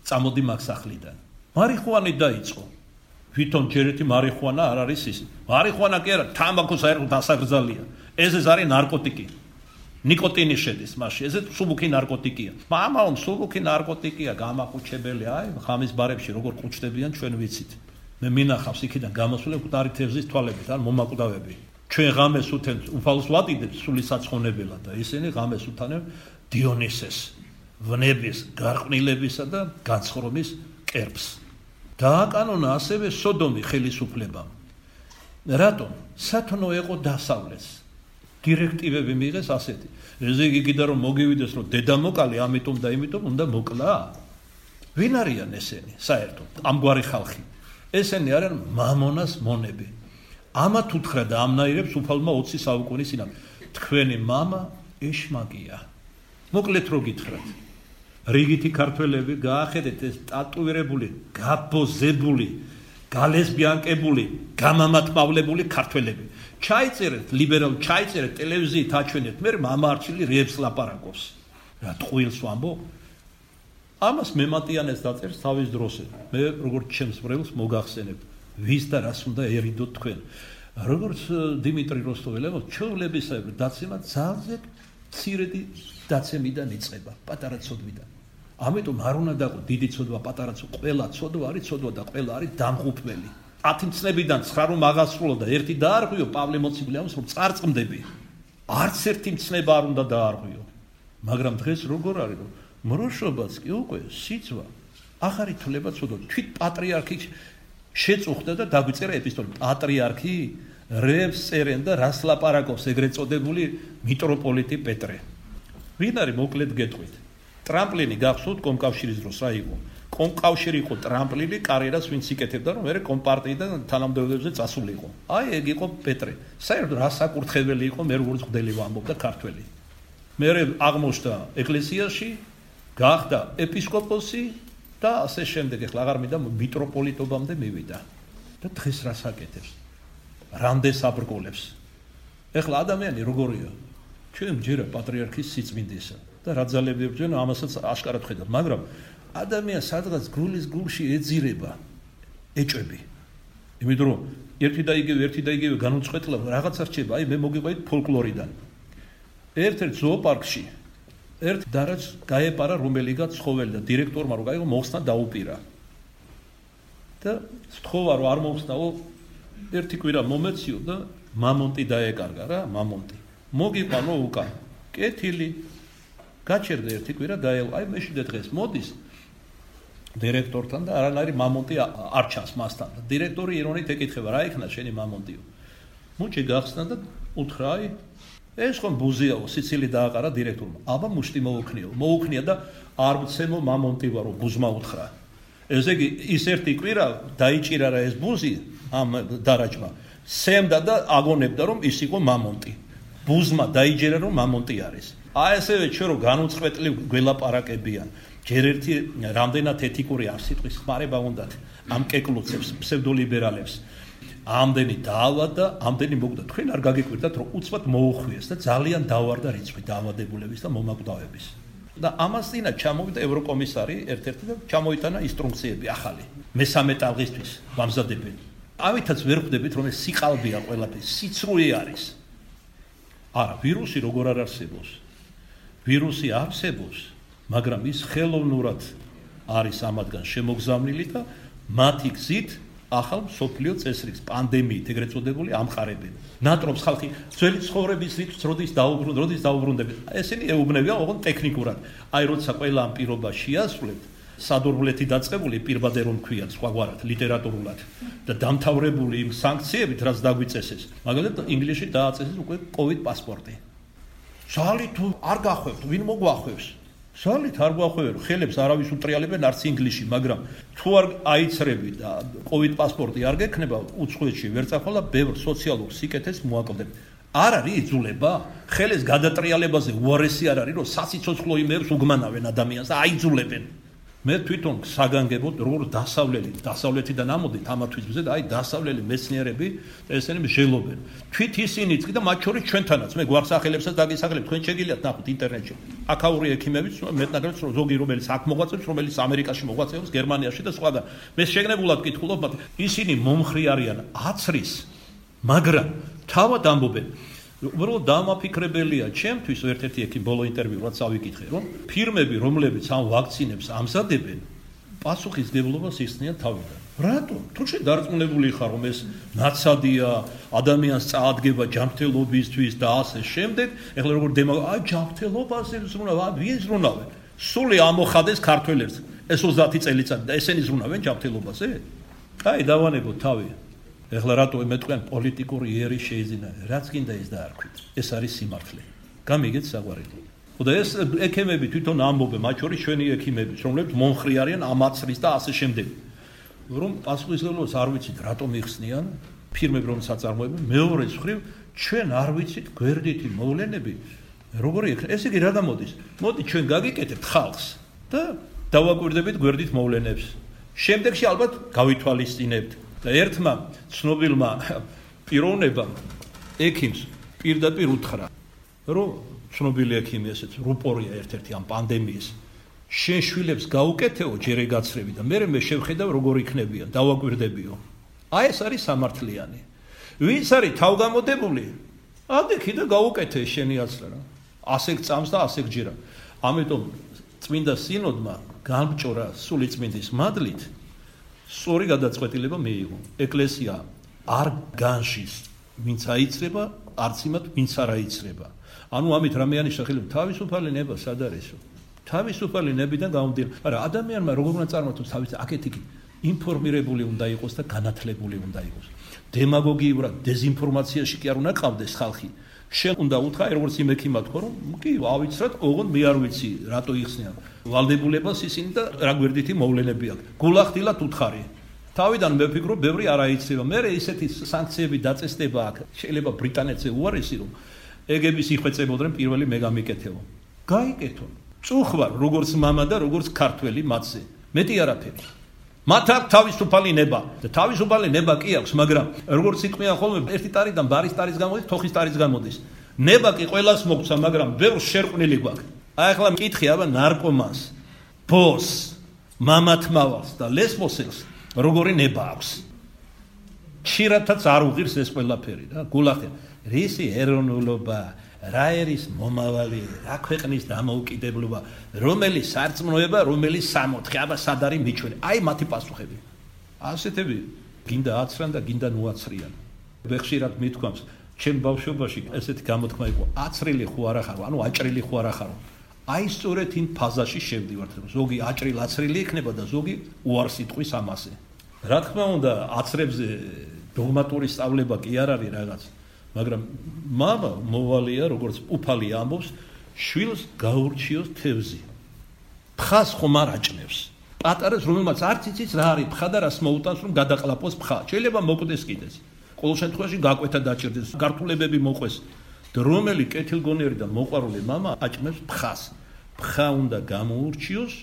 წამოდი მაგ სახლიდან. მარიხუანი დაიწყო. ვითომ ჯერეთი მარიხუანა არ არის ის. მარიხუანა კი არა, თამბაქო საერთოდ დასაგრძალია. ეს არის ნარკოტიკი. ნიკოტინი შედის მასში. ეს სუბუქი ნარკოტიკია. მამაო, სუბუქი ნარკოტიკია, გამაყუჩებელი. აი, ღამის ბარებში როგორ ყუჩდებიან ჩვენ ვიცით. მე მინახავს იქიდან გამოსული მკვდარი თევზის თვალებით, ან მომაკვდავები. ჩვენ ღამეს უთენთ უფალს ვატიდებს სული საცხონებელად და ისინი ღამეს უთანებს დიონისეს, ვნების, გარყვნილებისა და განცხრომის კერპს. დააკანონა ასევე სოდომი ხელისუფლებამ. რატომ? სათნო იყო დასავლეთს. დირექტივები მიიღეს ასეთი. ესე იგი კიდე რომ მოგივიდეს რომ დედამოკალი ამიტომ და იმიტომ უნდა მოკლა. ვინ არიან ესენი საერთოდ ამგვარი ხალხი? ესენი არიან მამონას მონები. ამათ უთხრა და ამნაირებს უფალმა 20 საუკუნის წინათ. თქვენი მამა ეშმაკია. მოკლედ რო გითხრათ. რიგითი ქართველები გაახედეთ ეს ტატუირებული, გაბოზებული, გალესბიანკებული, გამამათმავლებული ქართველები. ჩაიწერეთ ლიბერალ, ჩაიწერეთ ტელევიზიით აჩვენეთ, მე მამაარჩილი რეებს ლაპარაკობს. რა ტყუილს ვამბო? ამას მემატიანეს დაწერს თავის დროზე. მე როგორც ჩემს ბრელს მოგახსენებ, ვის და რას უნდა ერიდოთ თქვენ. როგორც დიმიტრი როსტოველებო, ჩვეულებისებრ დაცემა ძალზე მცირედი დაცემიდან იწყება, პატარა ცოდვიდან. ამიტომ არ უნდა დაყო დიდი ცოდვა, პატარა ცოდვა, ყველა ცოდვა არის ცოდვა და ყველა არის დამღუპველი. 10 მცნებიდან 9 რომ აღასრულო და ერთი დაარღვიო, პავლე მოციქული ამას რომ წარწმდები. არც ერთი მცნება არ უნდა დაარღვიო. მაგრამ დღეს როგორ არის რომ მროშობაც კი უკვე სიცვა ახარი თვლება ცოდვა. თვით პატრიარქი შეწუხდა და დაგვიწერა ეპისტოლე. პატრიარქი რეებს წერენ და რას ლაპარაკობს ეგრეთ წოდებული მიტროპოლიტი პეტრე. ვინ არის მოკლედ გეტყვით. ტრამპლინი გახსოვთ კომკავშირის დროს რა იყო? კომკავშირი იყო ტრამპლინი, კარიერას ვინც იკეთებდა რომ მე კომპარტიიდან თანამდებობებზე წასულიყო. აი ეგ იყო პეტრე. საერთოდ რა საკურთხეველი იყო მე როგორც ხდელი ვამბობდა ქართველი. მე აღმოჩნდა ეკლესიაში, გახდა ეპისკოპოსი და ასე შემდეგ. ეხლა აღარ მინდა მიტროპოლიტობამდე მივიდა. და დღეს რას აკეთებს? რამდენს აბრკოლებს? ეხლა ადამიანი როგორია? ჩვენ ჯერა პატრიარქის სიწმინდისა და რა ძალები ეწვევა ამასაც აშკარად ხედავ, მაგრამ ადამიანს სადღაც გულის გულში ეძირება ეჭვები. იმიტომ რომ ერთი და იგივე განუწყვეტლა რაღაცა რჩება. აი მე მოგიყვებით ფოლკლორიდან. ერთ-ერთ ზოოპარკში ერთ დარაჯს გაეპარა რომელიღაც ცხოველი და დირექტორმა რო გაიგო მოხსნა დაუპირა. და სთხოვა რომ არ მოხსნაო ერთი კვირა მომეციო და მამონტი დაეკარგა რა, მამონტი. მოგიყვანო უკან. კეთილი. გაჩერდა ერთი კვირა დაელო. აი მეშვიდე დღეს მოდის დირექტორთან და არანაირი მამონტი არ ჩანს მასთან. და დირექტორი ირონით ეკითხება, რა იქნა შენი მამონტიო? მუჭი გახსნა და უთხრა, აი ეს ხომ ბუზიაო, სიცილი დააყარა დირექტორმა. აბა მუშტი მოუქნიო. მოუქნია და არ მცემო მამონტი ვარო, ბუზმა უთხრა. ესე იგი ის ერთი კვირა დაიჭირა რა ეს ბუზი ამ დარაჯმა. სემდა და აგონებდა რომ ის იყო მამონტი. ბუზმა დაიჯერა რომ მამონტი არის. აი ესევე ჩვენ რომ განუწყვეტლივ გველაპარაკებიან. ჯერ ერთი რამდენად ეთიკური არ სიტყვის ხმარება უნდათ ამ კეკლუცებს, ფსევდოლიბერალებს. ამდენი დაავა და ამდენი მოგდა. თქვენ არ გაგიკვირდათ რომ უცბად მოუხვიეს და ძალიან დავარდა რიცხვი დაავადებულების და მომაკვდავების. და ამას წინა ჩამოვიდა ევროკომისარი ერთ-ერთი და ჩამოიტანა ინსტრუქციები ახალი. მესამე ტალღისთვის ვამზადებენ. ამითაც ვერ ხვდებით რომ ეს სიყალბეა ყველაფერი, სიცრუე არის. არა, ვირუსი როგორ არ არსებობს. ვირუსი არსებობს, მაგრამ ის ხელოვნურად არის ამათგან შემოგზავნილი და მათი გზით ახალ მსოფლიო წესრიგს, პანდემიით ეგრეთ წოდებული ამყარებენ. ნატრობს ხალხი ძველი ცხოვრების რიცხვს როდის დაუბრუნდებით. ესენი ეუბნებიან ოღონდ ტექნიკურად. აი როცა ყველა ამ პირობას შეასრულებთ, სადორბლეთი დაწყებული პირბადე რომ ქვიათ სხვაგვარად ლიტერატურულად და დამთავრებული იმ სანქციებით, რაც დაგვიწესეს. მაგალითად ინგლისში დააწესეს უკვე COVID პასპორტი. ზალი თუ არ გახვევთ, ვინ მოგვახვევს? ზალით არ გვახვევენ, ხელებს არავის უტრიალებენ არც ინგლისში, მაგრამ თუ არ აიცრები და COVID პასპორტი არ გექნება, უცხოეთში ვერ წახვალა, ბევრ სოციალურ სიკეთეს მოაკლდებ. არ არის იძულება, ხელის გადატრიალებაზე უარესი არ არის, რომ სასიცოცხლო იმებს უგმანავენ ადამიანს და აიძულებენ. მე თვითონ საგანგებოდ როგორ დასავლეთიდან ამოდით ამათვის მზე და აი დასავლელი მეცნიერები ესენი მსჯელობენ. თვით ისინიც კი და მათ შორის ჩვენთანაც მე გვარსახელებსაც დაგისახელებ, თქვენ შეგიძლიათ ნახოთ ინტერნეტში. აქაური ექიმებიც მეტნაკლებიც ზოგი რომელიც აქ მოღვაწეობს, რომელიც ამერიკაში მოღვაწეობს, გერმანიაში და სხვაგან. მე შეგნებულად ვკითხულობ, მაგრამ ისინი მომხრი არიან აცრის, მაგრამ თავად ამბობენ უბრალოდ დამაფიქრებელია ჩემთვის ერთ-ერთი ექიმ ბოლო ინტერვიუ რაც ავიკითხე რომ ფირმები რომლებიც ამ ვაქცინებს ამზადებენ პასუხისგებლობას იხსნიან თავიდან. რატომ? თუ შენ დარწმუნებული ხარ რომ ეს ნაცადია, ადამიანს წაადგება ჯანმრთელობისთვის და ასე შემდეგ, ეხლა როგორ აი ჯანმრთელობაზე ზრუნავ, ვინ ზრუნავენ? სული ამოხადეს ქართველებს ეს 30 წელიწადი და ესენი ზრუნავენ ჯანმრთელობაზე? აი დავანებოთ თავი. ეხლა რატო მეტყვიან პოლიტიკური იერი შეიძინა, რაც გინდა ის დაარქვით. ეს არის სიმართლე. გამიგეთ საყვარელი. და ეს ექიმები თვითონ ამბობენ, მათ შორის ჩვენი ექიმები, რომლებიც მომხრე არიან ამაცრის და ასე შემდეგ. რომ პასუხისმგებლობას არ ვიცით, რატომ იხსნიან ფირმები, რომ საწარმოებენ, მეორე მხრივ ჩვენ არ ვიცით გვერდითი მოვლენები, როგორი იქნება. ეს იგი რა გამოდის? მოდი ჩვენ გაგიკეთებთ ხალხს და დავაკვირდებით გვერდით მოვლენებს. შემდეგში ალბათ გავითვალისწინებთ. და ერთმა ცნობილმა პიროვნებამ ექიმს პირდაპირ უთხრა, რომ ცნობილი ექიმი ესეც რუპორია ერთ-ერთი ამ პანდემიის შენ შვილებს გაუკეთეო ჯერ ეგაცრები და მე შევხედავ როგორ იქნებიან, დავაკვირდებიო. აი ეს არის სამართლიანი. ვინც არის თავგამოდებული, ადექი და გაუკეთე შენი აცრა რა. ასე წამს და ასე გჯერა. ამიტომ წმინდა სინოდმა გამჭორა სულიწმინდის მადლით სწორი გადაწყვეტილება მიიღო. ეკლესია არ განშის, ვინც აიცრება, არც იმათ, ვინც არ აიცრება. ანუ ამით რამეანის სახელით თავისუფალი ნება სად არისო? თავისუფალი ნებიდან გამომდინარე. მაგრამ ადამიანმა როგორ უნდა წარმართოს თავის აქეთ-იქით ინფორმირებული უნდა იყოს და განათლებული უნდა იყოს. დემაგოგიურად დეზინფორმაციაში კი არ უნდა ყავდეს ხალხი. შენ უნდა უთხრა, როგორც იმ ექიმად ხო, რომ კი ავიცრათ, ოღონდ მე არ ვიცი, რატო იხსნიან. ვალდებულებას ისინი და რა გვერდითი მოვლენები აქვს. გულახდილად უთხარი. თავიდან მე ვფიქრობ, ბევრი არ აიცრება. მე ისეთი სანქციები დაწესდება აქ. შეიძლება ბრიტანეთზე უარესი რომ ეგების იხვეწებოდნენ პირველი მე გამიკეთებო. გაიკეთო. წუხვარ როგორც მამა და როგორც ქართველი მათზე. მეტი არაფერი. მათ აქვს თავისუფალი ნება და თავისუფალი ნება კი აქვს, მაგრამ როგორც იყვიან ხოლმე ერთი տարიდან ბარის ტარის გამოდის, თოხის ტარის გამოდის. ნება კი ყველას მოგცა, მაგრამ ბევრს შერყვნილი გვაქვს. აი ახლა მკითხი აბა ნარკომანს, ბოს, მამათმავალს და ლესბოსელს როგორი ნება აქვს. ჩირათაც არ უღირს ეს ყველაფერი რა, გულახდენ. რისი ეროვნულობა, რა არის მომავალი, რა ქვეყნის დამოუკიდებლობა, რომელი სარწმუნოება, რომელი სამოთხე, აბა სად არის მიჩვენი. აი მათი პასუხები. ასეთები გინდა აცრან და გინდა ნუაცრიან. ხშირად მithქვამს, ჩემ ბავშვობაში ესეთი გამოთქმა იყო, აცრილი ხო არა ხარო, ანუ აჭრილი ხო არა ხარო. აი სწორედ იმ ფაზაში შევდივართ, რომ ზოგი აჭრილ აცრილი იქნება და ზოგი უარს იტყვის ამაზე. რა თქმა უნდა, აცრებზე დოგმატური სწავლება კი არ არის რაღაც. მაგრამ მამა მოვალია, როგორც უფალი ამბობს, შვილს გაურჩიოს თევზი. ფხას ხომ არ აჭნევს. პატარას რომელმაც არც იცის რა არის ფხა და რას მოუტანს რომ გადაყლაპოს ფხა. შეიძლება მოკვდეს კიდეც. ყოველ შემთხვევაში გაკვეთა დაჭერდეს, გართულებები მოყვეს. და რომელი კეთილგონიერი და მოყვარული მამა აჭნევს ფხას. ფხა უნდა გამოურჩიოს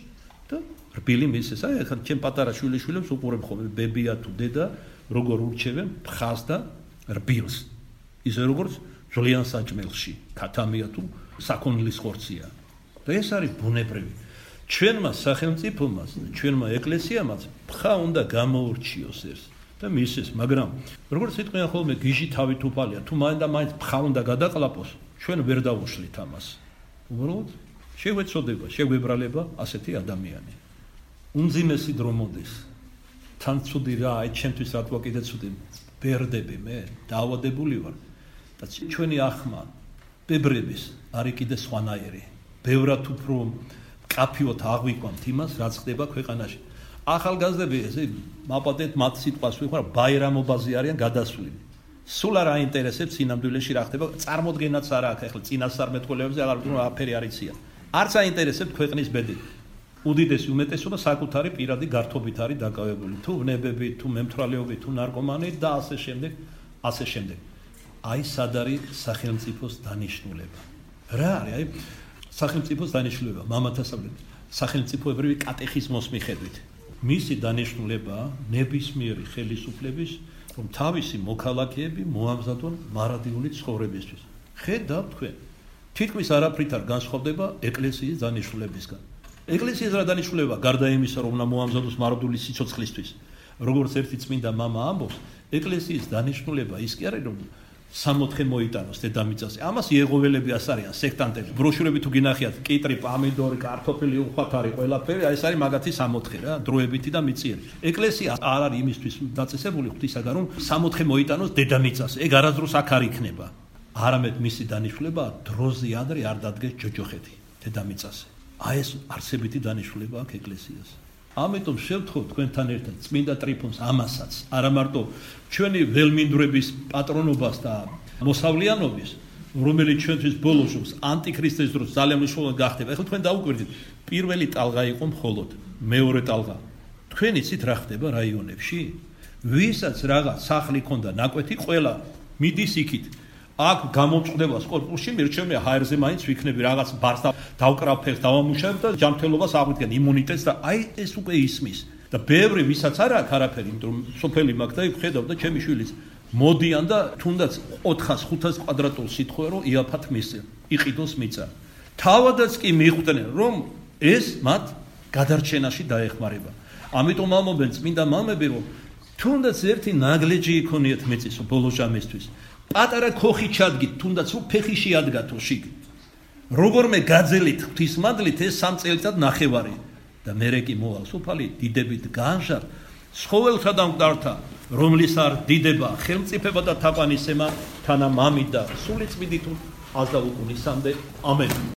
და რბილი მისცეს. აი ახლა ჩემ პატარა შვილიშვილებს უყურებ ხოლმე ბებია თუ დედა როგორ ურჩევენ ფხას და რბილს. ისე როგორც ძალიან საჭმელში, ქათამია თუ საქონლის ხორცია. და ეს არის ბუნებრივი. ჩვენმა სახელმწიფომაც, ჩვენმა ეკლესიამაც ფხა უნდა გამოურჩიოს ეს და მისცეს, მაგრამ როგორც იტყვიან ხოლმე გიჟი თავით უფალია, თუ მაინც და მაინც ფხა უნდა გადაყლაპოს, ჩვენ ვერ დავუშლით ამას. უბრალოდ შეგვეცოდება, შეგვებრალება ასეთი ადამიანი. უმძიმესი დრო მოდის. თან ცუდი რა, აი ჩემთვის რატო კიდე ცუდი ბერდები მე, დაავადებული ვარ. და ჩვენი ახმა ბებრების არის კიდე სხვანაირი. ბევრად უფრო კაფიოთ აღვიქვამთ იმას, რაც ხდება ქვეყანაში. ახალგაზრდები ესე მაპატეთ მათ სიტყვას ვიხარ, ბაირამობაზე არიან გადასვლილი. სულ არ აინტერესებს სინამდვილეში რა ხდება, წარმოდგენაც არ აქვს ახლა წინასწარმეტყველებზე აღარ ვთქვი, აფერი არ იციან. არც აინტერესებს ქვეყნის ბედი. უდიდესი უმეტესობა საკუთარი პირადი გართობით არის დაკავებული. თუ ვნებებით, თუ მემთვრალეობით, თუ ნარკომანით და ასე შემდეგ, ასე შემდეგ. აი სად არის სახელმწიფოს დანიშნულება. რა არის აი სახელმწიფოს დანიშნულება მამათასავლით სახელმწიფოებრივი კატეხიზმოს მიხედვით. მისი დანიშნულება ნებისმიერი ხელისუფლების რომ თავისი მოქალაქეები მოამზადონ მარადიული ცხოვრებისთვის. ხედავთ თქვენ, თითქმის არაფრით არ განსხვავდება ეკლესიის დანიშნულებისგან. ეკლესიის რა დანიშნულება გარდა იმისა რომ უნდა მოამზადოს მარადიული სიცოცხლისთვის. როგორც ერთი წმინდა მამა ამბობს, ეკლესიის დანიშნულება ის კი არის რომ სამოთხე მოიტანოს დედამიწაზე. ამას იეღოველები ასარიან, სექტანტები. ბროშურები თუ გინახიათ, კიტრი, პამიდორი, კარტოფილი, უხვათარი, ყველაფერი, ეს არის მაგათი სამოთხე რა, დროებითი და მიწიერი. ეკლესია არ არის იმისთვის დაწესებული ღვთისაგან, რომ სამოთხე მოიტანოს დედამიწაზე. ეგ არასდროს აქ არ იქნება. არამედ მისი დანიშნულება დროზე ადრე არ დადგეს ჯოჯოხეთი დედამიწაზე. აი ეს არსებითი დანიშნულება აქვს ეკლესიას. ამიტომ შევთხოვ თქვენთან ერთად წმინდა ტრიფონს ამასაც, არა მარტო ჩვენი ველმინდვრების პატრონობას და მოსავლიანობის, რომელიც ჩვენთვის ბოლოს ანტიქრისტეს დროს ძალიან მნიშვნელოვანი გახდება. ეხლა თქვენ დაუკვირდით, პირველი ტალღა იყო მხოლოდ, მეორე ტალღა. თქვენ იცით რა ხდება რაიონებში? ვისაც რაღაც სახლი ქონდა ნაკვეთი, ყველა მიდის იქით. აქ გამოწყდება კორპუსში, მირჩევნია ჰაერზე მაინც ვიქნები რაღაც ბარს და დავკრავ დავამუშავებ და ჯანმრთელობას აღვიდგენ იმუნიტეტს და აი ეს უკვე ისმის. და ბევრი ვისაც არ აქვს არაფერი, იმიტომ რომ სოფელი მაქვს და ხედავ და ჩემი შვილიც მოდიან და თუნდაც 400-500 კვადრატულ სიტყვე რომ იაფად მისცენ, იყიდოს მიწა. თავადაც კი მიხვდნენ რომ ეს მათ გადარჩენაში დაეხმარება. ამიტომ ამობენ წმინდა მამები რომ თუნდაც ერთი ნაგლეჯი იქონიათ მიწის ბოლო ჟამისთვის. პატარა ქოხი ჩადგით, თუნდაც ფეხი შეადგათო შიგ. როგორმე გაძელით ღვთისმადლით ეს 3 წელიწად ნახევარი და მერე კი მოვალ სოფალი დიდებით განჟარ ცხოველთა და მკვდართა, რომლის არ დიდება, ხელმწიფება და თაყვანისემა თანა მამით და სული წმინდით აზდა უკუნისამდე. ამენ.